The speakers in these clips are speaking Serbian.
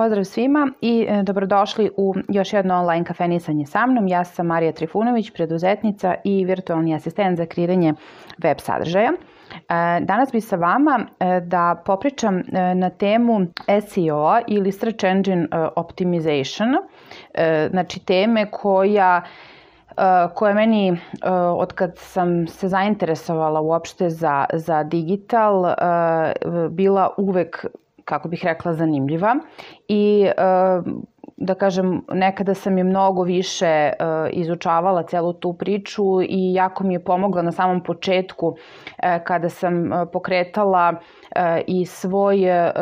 pozdrav svima i dobrodošli u još jedno online kafenisanje sa mnom. Ja sam Marija Trifunović, preduzetnica i virtualni asistent za kreiranje web sadržaja. Danas bi sa vama da popričam na temu SEO ili Search Engine Optimization, znači teme koja meni, od kad sam se zainteresovala uopšte za digital, bila uvek, kako bih rekla, zanimljiva i da kažem, nekada sam je mnogo više izučavala celu tu priču i jako mi je pomogla na samom početku kada sam pokretala i svoje,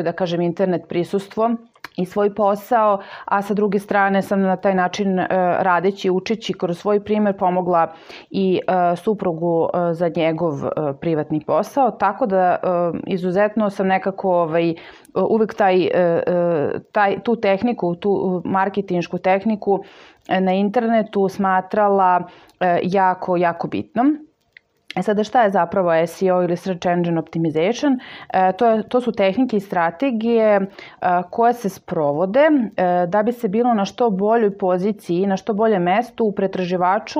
da kažem, internet prisustvo i svoj posao, a sa druge strane sam na taj način radeći, učeći kroz svoj primer pomogla i suprugu za njegov privatni posao, tako da izuzetno sam nekako uvek tu tehniku, tu marketinšku tehniku na internetu smatrala jako, jako bitnom. Sada, šta je zapravo SEO ili Search Engine Optimization? To su tehnike i strategije koje se sprovode da bi se bilo na što boljoj poziciji, na što bolje mestu u pretraživaču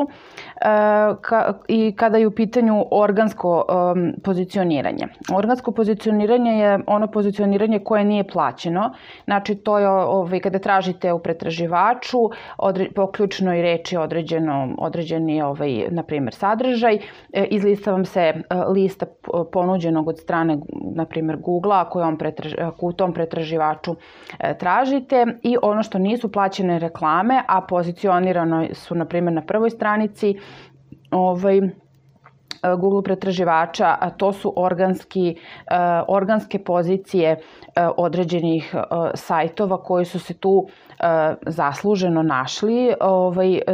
i kada je u pitanju organsko pozicioniranje. Organsko pozicioniranje je ono pozicioniranje koje nije plaćeno. Znači, to je kada tražite u pretraživaču po ključnoj reči određeni, na primjer, sadržaj, izlista vam se lista ponuđenog od strane, na primjer, Google-a ako u tom pretraživaču tražite, i ono što nisu plaćene reklame, a pozicionirano su, na primjer, na prvoj stranici Google pretraživača, a to su organske pozicije određenih sajtova koji su se tu zasluženo našli,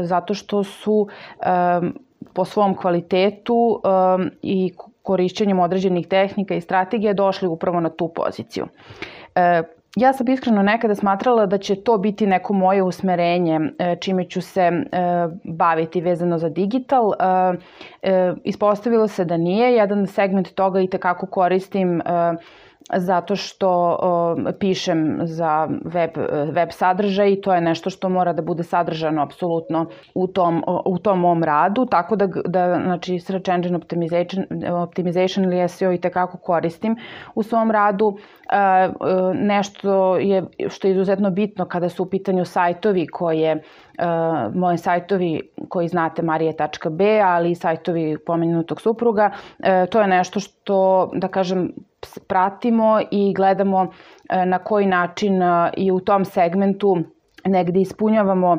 zato što su po svom kvalitetu i korišćenjem određenih tehnika i strategija došli upravo na tu poziciju. Ja sam iskreno nekada smatrala da će to biti neko moje usmerenje čime ću se baviti vezano za digital. Ispostavilo se da nije. Jedan segment toga i tekako koristim zato što pišem za web sadržaj i to je nešto što mora da bude sadržano apsolutno u tom mom radu, tako da znači, Search Engine Optimization ili SEO i tekako koristim u svom radu. Nešto što je izuzetno bitno kada su u pitanju sajtovi moji sajtovi koji znate, marije.b, ali i sajtovi pomenutog supruga, to je nešto što, da kažem, pratimo i gledamo na koji način i u tom segmentu negde ispunjavamo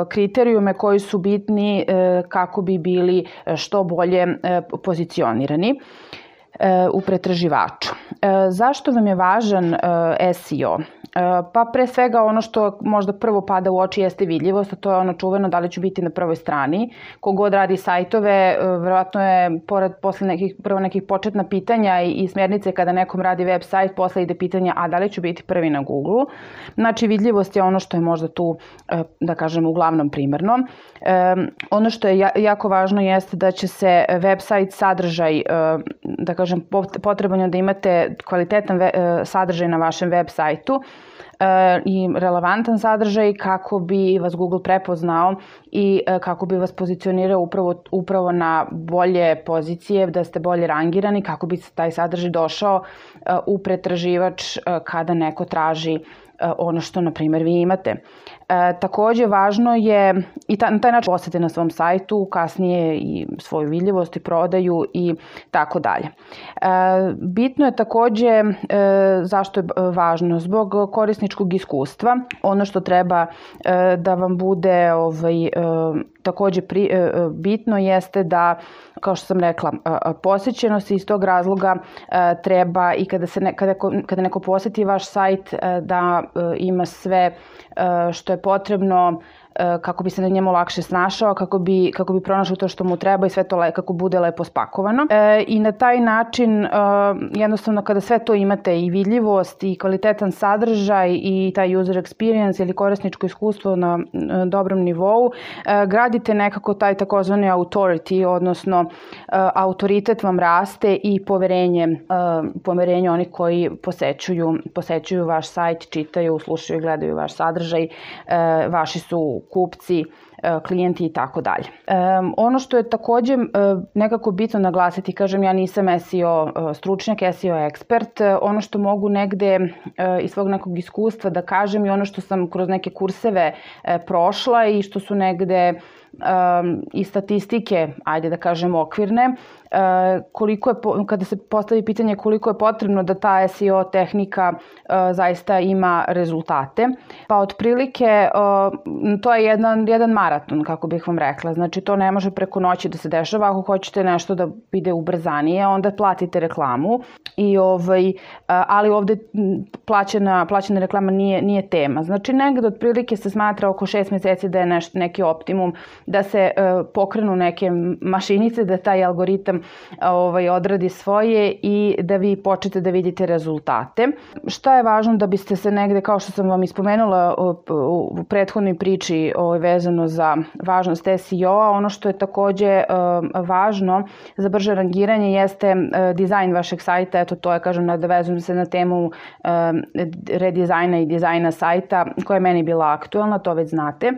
kriterijume koji su bitni kako bi bili što bolje pozicionirani u pretraživaču. Zašto vam je važan SEO? Pa pre svega ono što možda prvo pada u oči jeste vidljivost, a to je ono čuveno da li ću biti na prvoj strani. Kogod radi sajtove, verovatno je posle nekih početna pitanja i smjernice kada nekom radi web sajt, posle ide pitanja a da li ću biti prvi na Google. Znači, vidljivost je ono što je možda tu, da kažem, uglavnom primarno. Ono što je jako važno jeste da će se web sajt sadržaj, da kažem, potreban je da imate kvalitetan sadržaj na vašem web sajtu i relevantan sadržaj kako bi vas Google prepoznao i kako bi vas pozicionirao upravo na bolje pozicije, da ste bolje rangirani, kako bi taj sadržaj došao u pretraživač kada neko traži ono što, na primjer, vi imate. Takođe, važno je i na taj način posete na svom sajtu, kasnije i svoju vidljivost i prodaju i tako dalje. Bitno je takođe, zašto je važno? Zbog korisničkog iskustva. Ono što treba da vam bude takođe bitno jeste da, kao što sam rekla, posjećenost, iz tog razloga treba i kada neko poseti vaš sajt da ima sve što je potrebno kako bi se na njemu lakše snašao, kako bi pronašao to što mu treba i sve to kako bude lepo spakovano. I na taj način, jednostavno, kada sve to imate, i vidljivost i kvalitetan sadržaj i taj user experience ili korisničko iskustvo na dobrom nivou, radite nekako taj takozvani authority, odnosno autoritet vam raste i poverenje onih koji posećuju vaš sajt, čitaju, slušaju, gledaju vaš sadržaj, vaši su kupci, klijenti i tako dalje. Ono što je takođe nekako bitno naglasiti, kažem, ja nisam SEO stručnjak, SEO ekspert, ono što mogu negde iz svog nekog iskustva da kažem i ono što sam kroz neke kurseve prošla i što su negde i statistike, ajde da kažem, okvirne, kada se postavi pitanje koliko je potrebno da ta SEO tehnika zaista ima rezultate. Pa otprilike to je jedan maraton, kako bih vam rekla. Znači to ne može preko noći da se dešava. Ako hoćete nešto da ide ubrzanije, onda platite reklamu. Ali ovde plaćena reklama nije tema. Znači negde otprilike se smatra oko 6 meseci da je neki optimum da se pokrenu neke mašinice, da taj algoritam odradi svoje i da vi počnete da vidite rezultate. Šta je važno da biste se negde, kao što sam vam ispomenula u prethodnoj priči vezano za važnost SEO-a, ono što je takođe važno za brže rangiranje jeste dizajn vašeg sajta. Eto, to je, kažem, nadovezujem se na temu redizajna i dizajna sajta koja je meni bila aktuelna, to već znate.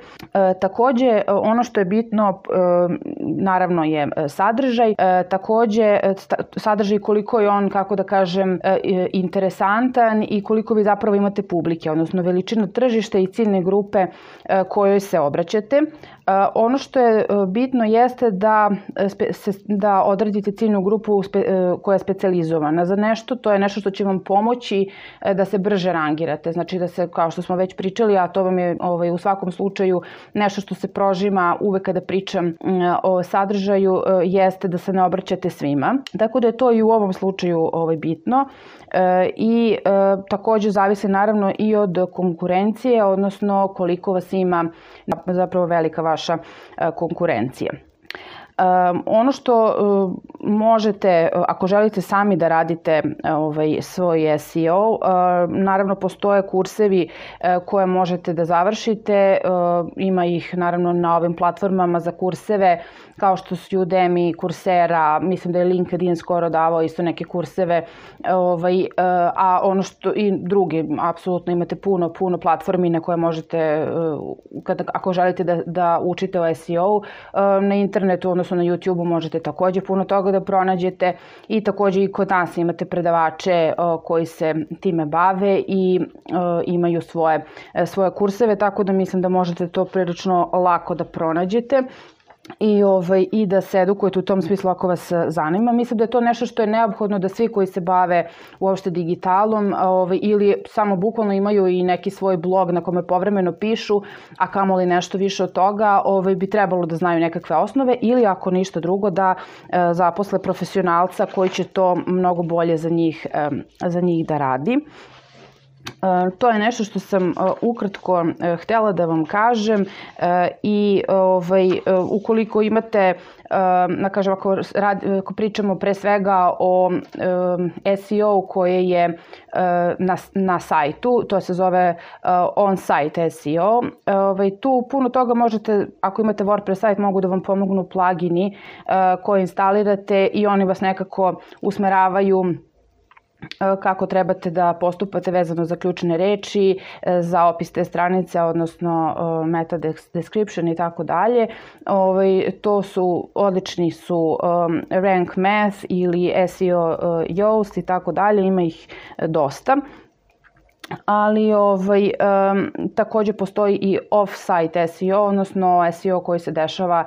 Takođe, ono što je bitno, naravno, je sadržaj. Takođe, sadržaj koliko je on, kako da kažem, interesantan i koliko vi zapravo imate publike, odnosno veličinu tržišta i ciljne grupe kojoj se obraćate. Ono što je bitno jeste da odredite ciljnu grupu koja je specijalizovana za nešto. To je nešto što će vam pomoći da se brže rangirate. Znači da se, kao što smo već pričali, a to vam je u svakom slučaju nešto što se prožima uvek kada pričam o sadržaju, jeste da se ne obraćate svima. Tako da je to i u ovom slučaju bitno. I takođe zavisi naravno i od konkurencije, odnosno koliko vas ima zapravo velika vaša konkurencija. Ono što možete, ako želite sami da radite svoj SEO, naravno postoje kursevi koje možete da završite, ima ih naravno na ovim platformama za kurseve kao što su Udemy, Coursera, mislim da je LinkedIn skoro davao isto neke kurseve, a ono što i drugi, apsolutno imate puno platformi na koje možete, ako želite da učite o SEO, na internetu, odnosno na YouTube-u možete takođe puno toga da pronađete i takođe i kod nas imate predavače koji se time bave i imaju svoje kurseve, tako da mislim da možete to prilično lako da pronađete. I da se edukujete u tom smislu ako vas zanima. Mislim da je to nešto što je neophodno da svi koji se bave uopšte digitalom ili samo bukvalno imaju i neki svoj blog na kome povremeno pišu, a kamoli nešto više od toga, bi trebalo da znaju nekakve osnove ili ako ništa drugo da zaposle profesionalca koji će to mnogo bolje za njih da radi. To je nešto što sam ukratko htela da vam kažem i ukoliko imate, ako pričamo pre svega o SEO koje je na sajtu, to se zove on-site SEO, tu puno toga možete, ako imate WordPress sajt, mogu da vam pomognu plugini koje instalirate i oni vas nekako usmeravaju kako trebate da postupate vezano za ključne reči, za opis te stranice, odnosno meta description i tako dalje. Odlični su Rank Math ili SEO Yoast i tako dalje, ima ih dosta. Ali takođe postoji i off-site SEO, odnosno SEO koji se dešava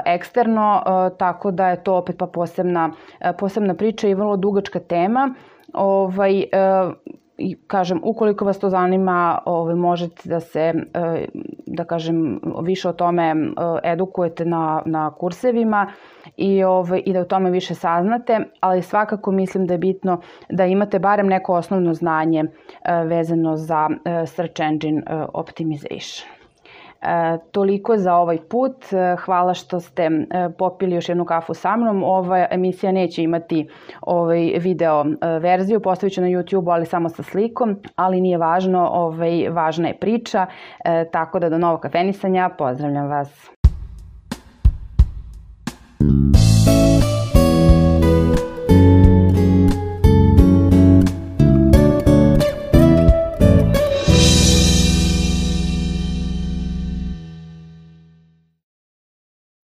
eksterno, tako da je to opet pa posebna priča i vrlo dugačka tema. Kažem, ukoliko vas to zanima, možete da se, da kažem, više o tome edukujete na kursevima i da o tome više saznate, ali svakako mislim da je bitno da imate barem neko osnovno znanje vezano za search engine optimization. Toliko za ovaj put. Hvala što ste popili još jednu kafu sa mnom. Ova emisija neće imati video verziju, postavit ću na YouTube, ali samo sa slikom, ali nije važno, važna je priča, tako da do novog kafenisanja, pozdravljam vas.